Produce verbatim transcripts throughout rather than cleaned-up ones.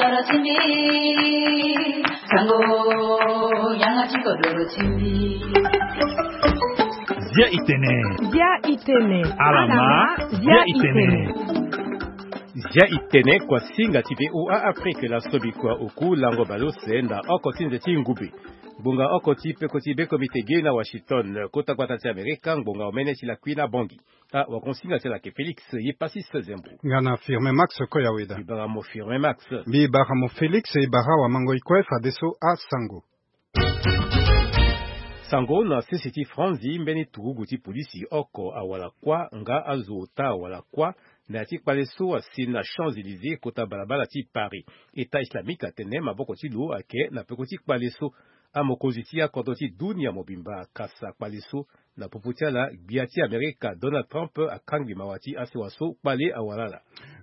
Zia itene. Zia itene. Alama. Zia itene. Zia itene kua singa ti V O A Afrique la sobi kua oku lango balose na oko ti nze ti ngube. Ngbonga oko ti peko ti beko mbi tege na Washington, kota gbata ti Amerika, ngbonga omene ti lakui na bongi. Ah, wakonsinga ti ala ke Félix ye Passis Zembo. Nga na Firmin Max Koyaweda. Mbi bara mo Firmin Max. Mbi bara mo Félix, e bara wamango ikue fadeso asango. Sango na sese ti Franzi, mbeni turugu ti polisi oko awara kuâ nga azo ota awara kuâ na ya ti kpale so asi na Champs-Élysées, kota balabala ti Paris. État islamique atene maboko ti lo ayeke na peko ti kpale so. Amokonzi ti akodro ti dunia mobimba akasa kpale so. Na popo ti ala, gbia ti Amerika Donald Trump akangbi mawa ti asewa so kpale awara ala.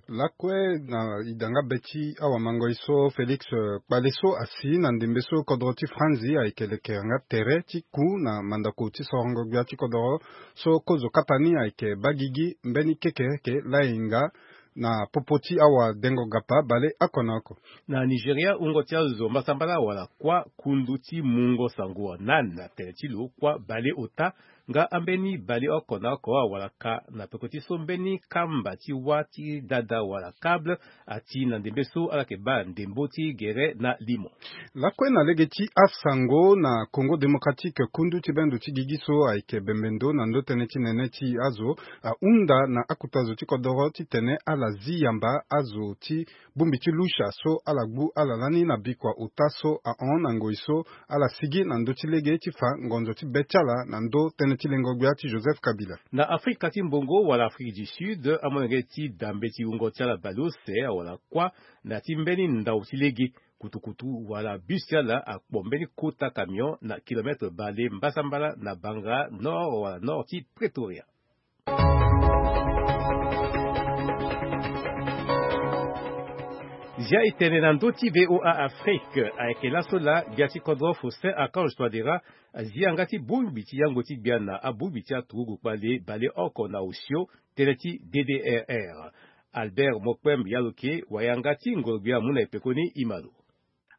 Lakue na idanga be ti awamangoi so Félix, eh, kpale so asi na ndembe so kodro ti Franzi ayeke lekere nga tere ti ku na mandako ti sorongo gbia ti kodro so kozo kapa ni ayeke baa gigi mbeni kekereke lainga na popo ti awadengo gapa bale oko na oko. Na Nigeria, wungo ti azo mbasambala wala kuâ kundu ti mungo sango anan na tene ti lo kuâ bale ota nga ambeni bale oko na oko awara ka na peko ti so mbeni kamba ti wâ ti dada wala câble ati na ndembe so ala yeke baa ndembo ti gere na limo. Lakue na lege ti asango na Congo Démocratique, kundu ti bendo ti gigi so ayeke bembe ndo na ndo tënë ti nene ti azo ahunda na akuta zo ti kodoro titene ala zi yamba azo ti bongbi ti lusha so ala gbu ala lani na bikua ota so ahon na ngoi so ala sigi na ndö ti lege ti fa ngonzo ti be ti ala na ndö tënë ti lengo gbia ti Joseph Kabila. Na Afrika ti mbongo wala Afrique du Sud, amolenge ti dambe ti wungo ti ala baleuse awala kuâ na ya ti mbeni ndau ti lege. Kutukutu wala bus ti ala akpo mbeni kota camion na kilometre bale mbasambala na banga nord wala nord ti Pretoria. Zia e tene na ndö ti V O A Afrique, ayeke laso laa gbia ti kodro Faustin Archange Touadéra azi yanga ti bongbi ti yango ti gbia na abongbi ti aturugu kpale bale oko na osio tënë ti D D R R. Albert Mokpem Yaloke wa yanga ti ngoro-gbia amu na e pekoni e ma lo.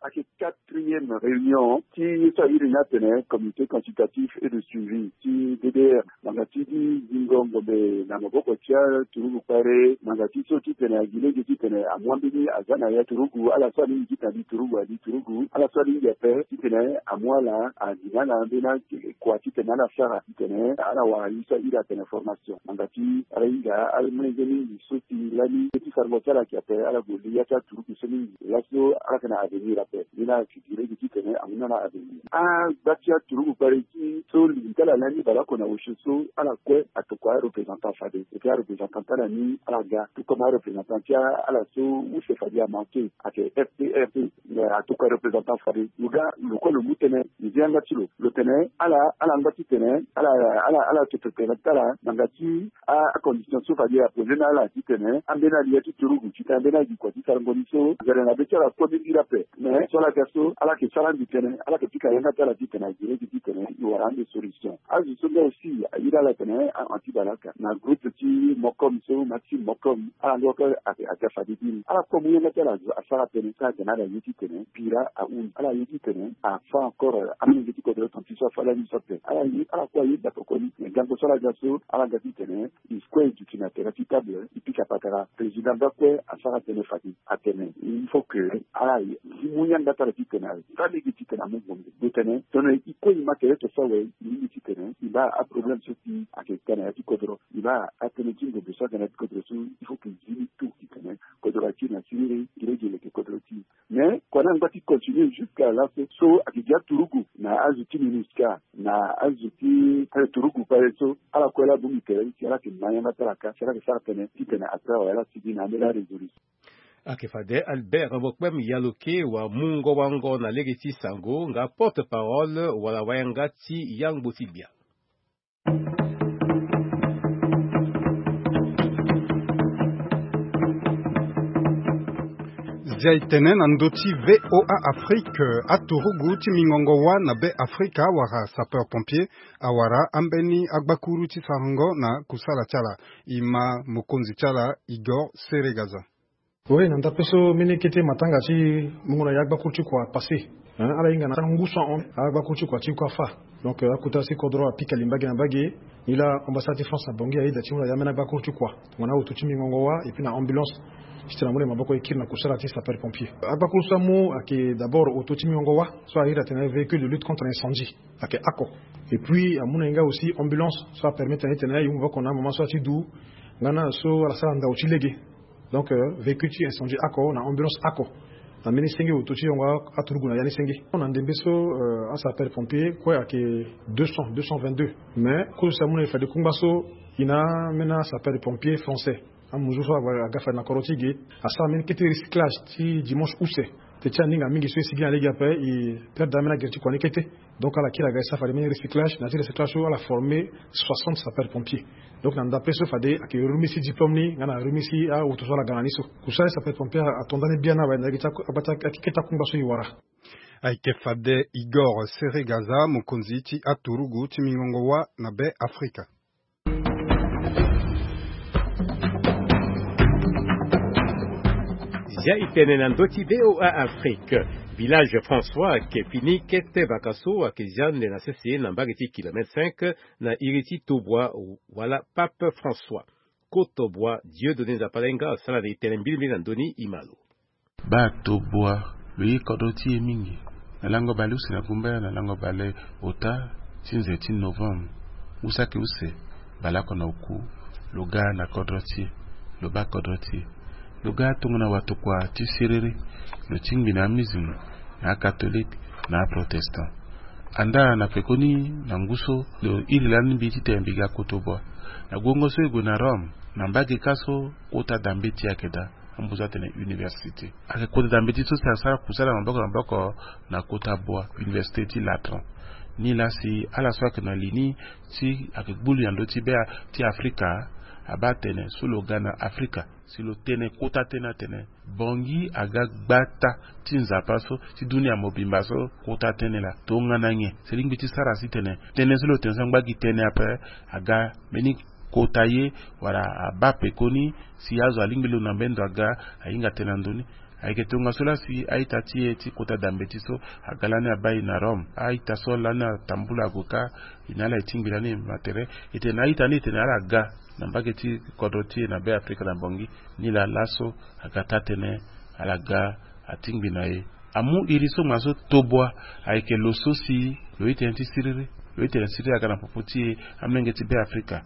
Ayeke quatrième réunion ti ye so a iri ni atene Comité consultatif et de suivi ti D D R. Ngbanga ti gi zingo ngombe na maboko ti aturugu kpale, ngbanga ti so titene agi lege titene amu ambeni aza na ya turugu, ala so alingbi titene ali turugu ali turugu, ala so alingbi ape titene amu ala agi na ala ambeni akua titene ala sara titene ala wara ye so a iri atene formation. Ngbanga ti ala hinga ala molenge mingi so ti lani ye ti sarango ti ala ayeke ape, ala gue li ya ti aturugu so mingi. Laso ala yeke na avenir ape. Ni la Direct titene amu na ala avenir. Agba ti aturugu kpale ti so lingbi ti ala lani baleoko na osio so ala kue atokua areprésentant fade. Ayeke areprésentant ti ala ni ala ga tout comme areprésentant ti ala so use fade amanke ayeke F P R P. Atokua areprésentant fade. Lo ga lo kue lo mu tënë. Lo zi yanga ti lo. Lo tene ala ala ngba titene ala ala ala to préparer ti ala ngbanga ti a, acondition so fade aposer na ala titene ambeni ali ya ti turugu titene ambeni agi kua ti sarango ni so nzere na be ti ala kue mbeni iri ape. Mais so ala ga so ala yeke sara ande tënë, ala yeke pika yanga ti ala titene agi lege titene e wara ande solution. Azo so nga aussi a iri ala atene a anti balaka na groupe ti Mokom so Maxime Mokom, ala nga kue ayeke aga fade biri. Ala kue amu yanga ti ala azo asara tënë so aga na ala ye titene bira ahunzi. Ala ye titene afa encore amolenge ti kodro tonti so afa lani so ape. Ala ye, ala kue aye dapekoni. Mais gango so ala ga so ala ga titene e kue e duti na tere ti table, e pika patara. Président baa kue asara tënë fade atene il faut que ala ye, e mu yanga ti ala titene aza lege titene amu ngbongbongo. Lo tene tongana e kue e ma tere to so awe, e lingbi titene e baa aproblème so si ayeke ka na ya ti kodro. E baa atënë ti ngbongbongo so aga na ya ti kodro so il faut que e zi ni tout titene kodro akiri na siriri, gi lege e leke kodro ti e. Mais kua ni angba ti continuer jusqu'à laso so ayeke gi aturugu na azo ti MINUSCA na azo ti turugu kpale so ala kue la bongbi tere ni si ala yeke ma yanga ti ala ka si ala yeke sara tënë titene après awe ala sigi na ambeni arésolution. Ayeke fade Albert Mokpem Yaloke wa mungo wango na lege ti sango nga porte-parole wala wayanga ti yangbo ti gbia. Zia e tene na ndö ti V O A Afrique, aturugu ti mingongo wâ na Be Afrika wala sapeur pompier awara ambeni agbakuru ti sarango na kusala ti ala. E ma mokonzi ti ala Igor Seregaza. Oui, na ndape so mbeni kete matanga ti mungo na ya agbakuru ti kua apassé. Hein, ala hinga na ngu so ahon agbakuru ti kua ti ku afa. Donc euh, akota si kodro apika li mbage na mbage. Ni laa ambassade ti France na Bangui ayeda ti mu na ya ambeni agbakuru ti kua, tongana auto ti mingongo wa et puis na ambulance, ti tena amu na e maboko e kiri na kusala ti sapeur pompier. Agbakuru so amu ayeke d'abord auto ti mingongo wa so ahiri atene véhicule de lutte contre incendie, ayeke oko. Et puis amu na e nga aussi ambulance so apermettre na e tene e mu maboko na amama so ati du nga na so ala sara ndau ti lege. Donc euh, véhicule ti incendie oko na ambulance oko. Na mbeni senge auto ti yongo aturugu na ya ni senge. Na ndembe so euh, asapeur pompier kue ayeke deux cents, deux cent vingt-deux. Mais kozo si amu na e fade kungba so, e na ambeni asapeur pompier français, amuzu so aga fade na kodro ti e ge, asara mbeni kete recyclage ti dimanche use. Te ti aninga mingi so e sigi na lege ape, e perdre ambeni agere ti kua ni kete. Donc ala kiri aga e sara fade mbeni recyclage. Na ya ti recyclage so ala former soixante sapeurs pompiers. Donc na ndape so fade ayeke remise ti diplôme ni nga na remise ti auto so ala ga na ni so. Kusala ti sapeur pompier ato ndani biana awe na yeke ti akete akungba so e wara. Ayeke fade Igor Seregaza, mokonzi ti aturugu ti mingongo wa na Be Afrika. Zia e tene na ndö ti V O A Afrique. Village François ayeke fini kete vaka so ayeke zia ande na sese na mbage ti kilomètre cinq na iri ti Tobwa wala Pape François. Koto Bwa Dieudonné Nzapalainga asara na e tene mbilimbili na ndö ni e ma lo. Baa Tobwa lo ye kodro ti e mingi. Na lango bale use na gumbaya na lango bale ota ti nze ti novembre. Usaki use baleoko na oku lo ga na kodro ti e, lo baa kodro ti e. Lo ga tongana watokua ti siriri. Lo tingbi na amusulman, na akatholike, na aprotestant. Andaa na pekoni na ngu so lo iri lani mbi titene mbi ga Koto Bwa. Na guongo so e gue na Rome, na mbage kâ so kota dambeti ayeke daa. Ambuzu atene université. Ayeke kota dambeti so si asara kusala maboko na maboko na Koto Bwa, université ti Latran. Nilaa si ala so ayeke na li ni ti ayeke gbuli na ndö ti be ti Afrika, abaa tene so lo ga na Afrika, si lo tene kota tënë atene Bangui aga gbata ti Nzapa so ti dunia mobimba so kota tënë laa. Tongana nyen? Si lingbi ti sara si tene tënë so lo tene so angba gi tënë ape aga mbeni kota ye, wala abaa pekoni si azo alingbi lo na mbeni ndo aga ahinga tënë na ndö ni. Ayeke tongaso laa si a-ita ti e ti kota dambeti so aga lani abaa e na Rome. A-ita so lani atambula ague kâ, e na ala e tingbi lani e ma tere. E tene na a-ita ni e tene ala ga na mbage ti kodro ti e na Be Afrika na Bangui. Nilaa laso aga taa-tënë, ala ga atingbi na e. Amu iri so ngbanga so Tobwa ayeke lo so si lo ye tënë ti siriri. Lo ye tene siriri aga na popo ti e, amolenge ti Be Afrika.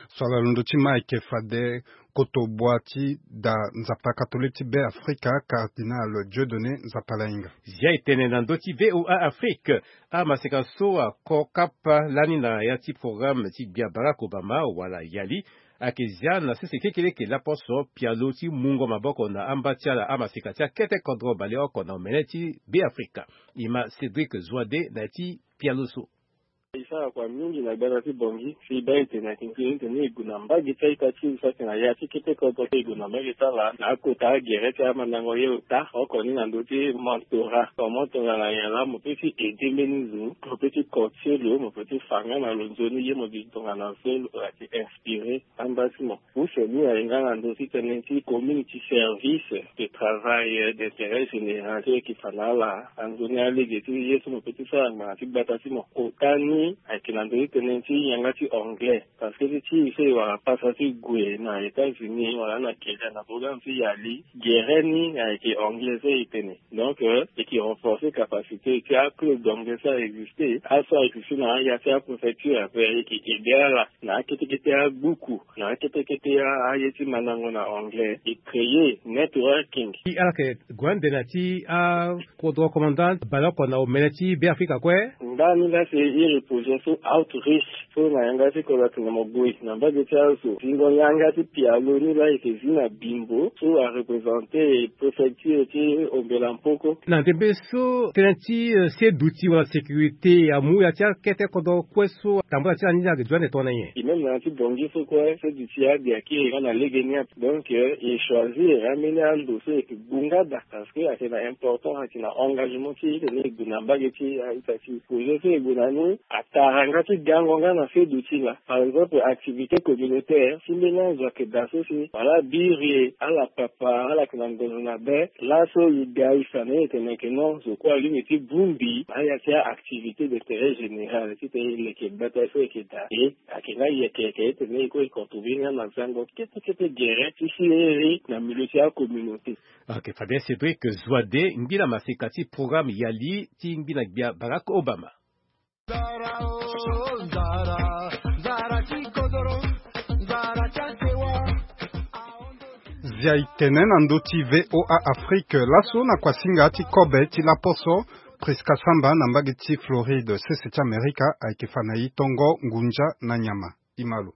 So ala londo ti ma ayeke fade Koto Bwa ti da Nzapa katolike ti Be Afrika, Cardinal Dieudonné Nzapalainga. Zia e tene na ndö ti V O A Afrique. Amaseka so ako kapa lani na ya ti programme ti gbia Barack Obama wala Yali ayeke zia na sese kekeleke laposo pialo ti mungo maboko na amba ti ala amaseka ti akete kodro baleoko na omene ti Be Afrika. E ma Cédric Zoide na ya ti pialo so. E sara kua mingi na gbata ti Bangui si e baa e tene ayeke nzoni tene e gue na mbage ti a-ita ti e so ayeke na ya ti kete kodro ti e, e gue na mbage ti ala na akota agere ti amandango ye ota oko ni na ndö ti mentorat. Comment tongana nyen laa mo peut ti aider mbeni zo, mo peut ti coacher lo, mo peut ti fa nga na lo nzoni ye mo bi tongana so lo yeke inspirer amba ti mo. Use ni aye nga na ndö ti tënë ti community service, de travail d'intérêt général so e yeke fa na ala. Anzoni alege ti ye so mo peut ti sara ngbanga ti gbata ti mo. Kota ni ayeke na ndö ti tënë ti yanga ti anglais. Parce que ti ti e so e wara pasa ti gue na États-Unis wala na Kenya na programme ti Yali, gere ni ayeke anglais so e tene. Donc euh, e yeke renforcer capacité ti aclub d'anglais so a existe. Aso a existe na aya ti apréfecture ape, e yeke aider ala na akete kete abuku, na akete kete a- aye ti mandango na anglais. E créer networking. Ti ala yeke gue ande na ti akodro commandant baleoko na omene ti Be Afrika kue. Ndani laa si e iri projet so outreach so na yanga ti kodro atene mo gue na mbage ti azo. Zingo yanga ti pialo ni laa e yeke zi na bimbo so a représenter préfecture ti Ombela Mpoko. Na ndembe so tënë ti euh, seduti wala sécurité amu ya ti akete kodro kue so atambula ti ala ni ayeke duti ande tongana nyen? E même na ya ti Bangui so kue seduti ade ayeke nga na lege ni ape. Donc euh, e choisir ambeni ando so e yeke gbu nga daa parce que ayeke na important, ayeke na engagement ti e titene e gue na mbage ti a-ita ti e. Projet so e gue na ni a- Tara nga ti gango nga na fedo ti la. Par exemple, activité communautaire, si mbeni azo ayeke daa so si wala abiri ala papa, ala yeke na ngonzo na be, laso e ga e fa na e tene ayeke non, zo kue alingbi ti bongbi na ya ti a-activité d'intérêt général titene e leke gbata so e yeke daa. E ayeke nga yeke yeke titene e kue e contribuer nga na zango kete kete gere ti si e iri na milieu ti acommunauté. Ok, fade Cédric Zoide, ngbina maseka ti programme Yali ti ngbina gbia Barack Obama. Zia e tene na ndö ti V O A Afrique laso na kuasinga ti kobe ti laposo. Prisca Samba na mbage ti Floride, sese ti Amerika, ayeke fa na e tongo ngunza na nyama. E ma lo.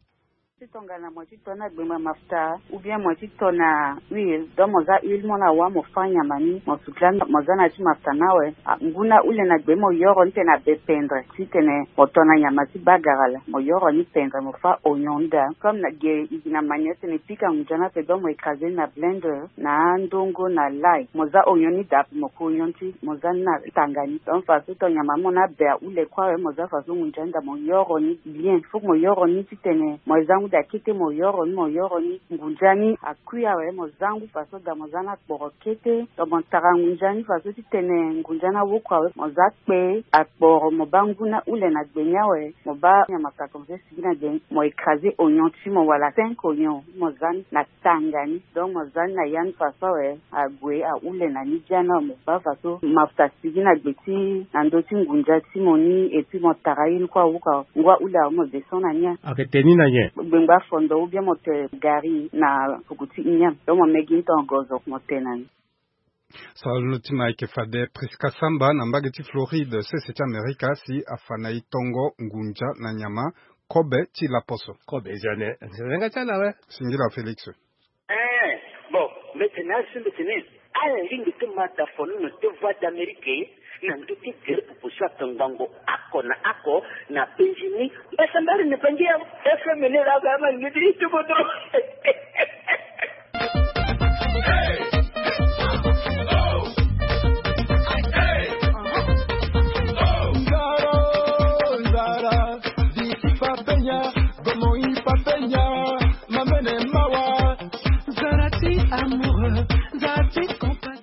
Ti tongana mo ti to na gbengba mafuta, ou bien mo ti to na huile, donc mo za huile mo na wâ mo fâ nyama ni, mo suka mo za na ti mafuta ni awe. Ah, ngu na ule na gbe mo yoro ni tene abe pendre titene mo to na nyama ti bagara laa, mo yoro ni pendre mo fâ oignon ni daa. Comme na ge e gi na manière titene e pika ngunza ni ape, donc mo écraser ni na blender na andongo na lay, mo za oignon ni daa ape, mo ku oignon ti mo za ni na tanga ni. Donc façon to nyama mo ni abe aule kue awe, mo za façon ngunza ni daa mo yoro ni bien. Faut que mo yoro ni titene mo za ngu daa kete, mo yoro ni, mo yoro ni, ngunza ni akui awe, mo za ngu façon daa mo za ni akporo kete. Donc mo tara ngunza ni façon titene ngunza ni awoko awe, mo za kpe akporo, mo baa ngu na ule na gbe ni awe, mo baa nyama ta comme ça sigi na gbe ni, mo écraser oignon ti mo wala cinq oignon, mo za ni na tanga ni. Donc mo za ni na ya ni façon awe, ague aule na ni dia ni awe, mo baa façon mafuta sigi na gbe ti na ndö ti ngunza ti mo ni, et puis mo tara ye ni kue awuka, ngu aule awe mo descend na ni. Ayeke te ni na nyen? Gbengba fondo ou bien mo te gari na fuku ti nyen, donc mo mê gi ni tongo zo mo te na ni. Sara lo ti ma ayeke fade Prisca Samba na mbage ti Floride, sese ti Amerika, si afa na e tongo ngunza na nyama kobe ti laposo. Kobe zia ne, nze nga ti ala awe. Singila Félix. Eh, bon, mbi tene asi mbi tene ala lingbi ti ma da fono na te Voix d'Amérique na ndö ti gere proposition ake ngbongo oko na oko na penzi ni. Mbasambari ni penzi ya F M ni laa, ba ma lingbi ti ti kodro.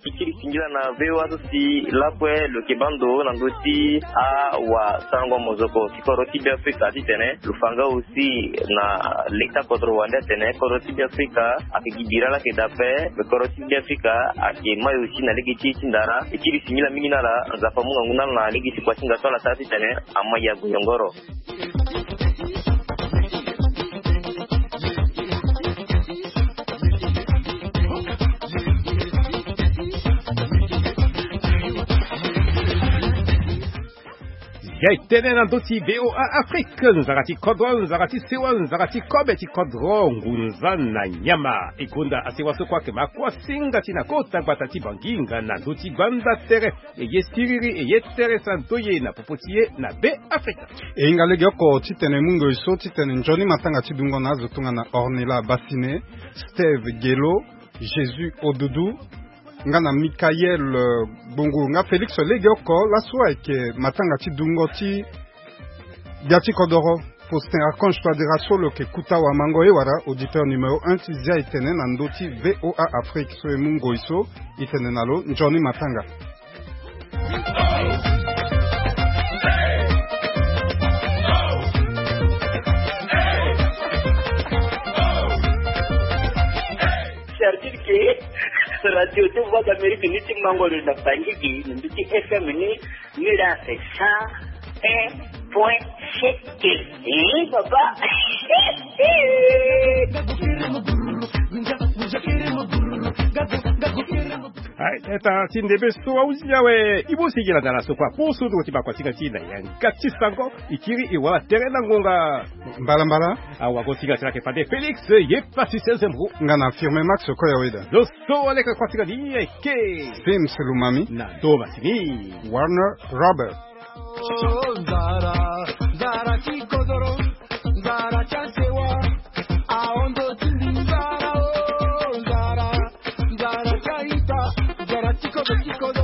E kiri singila na V O A so si lakue lo yeke baa ndo na ndö ti awasango mozoko ti kodro ti Beafrika titene lo fa nga aussi na leta kodro wande atene kodro ti Beafrika ayeke gi bira laa ayeke daa ape. Kodro ti Beafrika ayeke mai aussi na lege ti e ti ndara. E kiri singila mingi na ala, Nzapa amu ngangu na ala na lege ti kuasinga so ala sara titene ama ya goyongoro. Ya e tene na ndö ti V O A Afrique, nzara ti kodro, nzara ti sewa, nzara ti kobe ti kodro, ngunza na nyama. E gonda asewa so kue ayeke ma kuasinga ti na kota gbata ti Bangi nga na ndö ti gbanda tere. E ye siriri, e ye tere santo ye na popo ti e na Beafrika. E hinga legeoko titene e mu ngoi so titene nzoni matanga ti dungo na azo tongana Ornella Bassine, Steve Gelo, Jésus Odudu, nga na Michael, euh, Gbongo, nga Félix legeoko. Laso ayeke matanga ti dungo ti gbia ti kodoro. Faustin Archange Touadéra so lo yeke kuta wamango ye wala auditeur numéro un ti Zia e tene na ndö ti V O A Afrique so e mu ngoi so. E tene na lo nzoni matanga. Cest à dire que radio ti Voix d'Amérique ni ti mango lo na Bangui gi na ndö ti F M ni, ni la c'est cent un point sept. Eh, papa. Aye, eta ti ndembe so ahusi ni awe. E bongbi sigi landa na so kue aposo nduru ti bakuasinga ti e na yanga ti sango. E kiri e wara tere na ngonga. Mbalambala. Awagosinga ti lake fade Félix ye Patrice Zembro. Nga na Firme Max Koyaweda. Lo so aleke kuasinga ni ayeke Sims Lumami. Na Thomas ni Warner Robert. Oh, nzara, nzara ti kodoro, nzara ti asewa, ahondo ti nzara, oh, nzara, nzara ti aita, nzara ti kodo ti kodo.